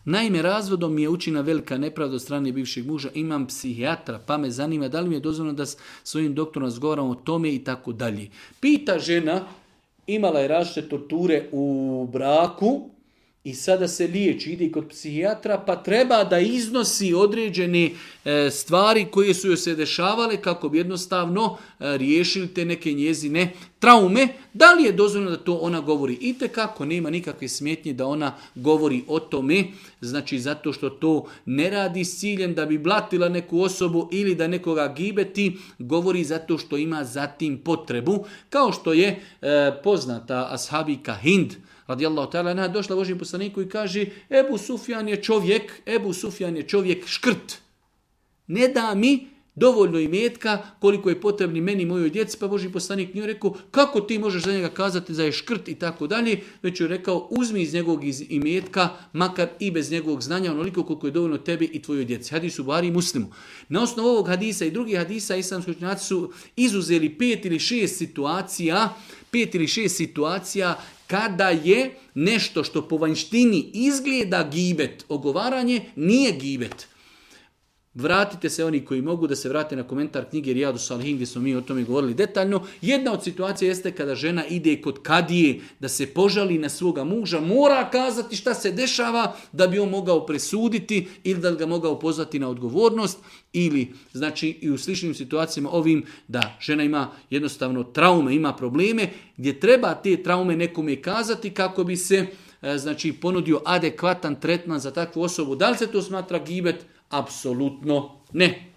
Naime, razvodom mi je učina velika nepravda od strane bivšeg muža, imam psihijatra, pa me zanima da li mi je dozvoljeno da s svojim doktorom razgovaram o tome i tako dalje. Pita žena, imala je različite torture u braku i sada se liječi, ide kod psihijatra, pa treba da iznosi određene stvari koje su joj se dešavale kako bi jednostavno riješili te neke njezine traume. Da li je dozvoljeno da to ona govori? Itekako nema nikakve smetnje da ona govori o tome, znači zato što to ne radi s ciljem da bi blatila neku osobu ili da nekoga gibeti, govori zato što ima zatim potrebu. Kao što je poznata ashabika Hind, radijallahu ta'ala anha, došla Božjem poslaniku i kaže Ebu Sufjan je čovjek škrt. Ne da mi dovoljno imetka koliko je potrebni meni i mojoj djeci, pa Božji poslanik nije rekao kako ti možeš za njega kazati da je škrt i tako dalje, već je rekao uzmi iz njegovog imetka, makar i bez njegovog znanja, onoliko koliko je dovoljno tebi i tvojoj djeci. Hadis u Buhari i Muslimu. Na osnovu ovog hadisa i drugih hadisa islamski učenjaci su izuzeli 5 ili 6 situacija kada je nešto što po vanjštini izgleda gibet, ogovaranje, nije gibet. Vratite se oni koji mogu da se vrate na komentar knjige Rijadu Salihin gdje smo mi o tome govorili detaljno. Jedna od situacija jeste kada žena ide kod kadije da se požali na svoga muža, mora kazati šta se dešava da bi on mogao presuditi ili da ga mogao pozvati na odgovornost, ili znači i u sličnim situacijama ovim da žena ima jednostavno traume, ima probleme gdje treba te traume nekome kazati kako bi se znači ponudio adekvatan tretman za takvu osobu. Da li se to smatra gibet? Apsolutno ne.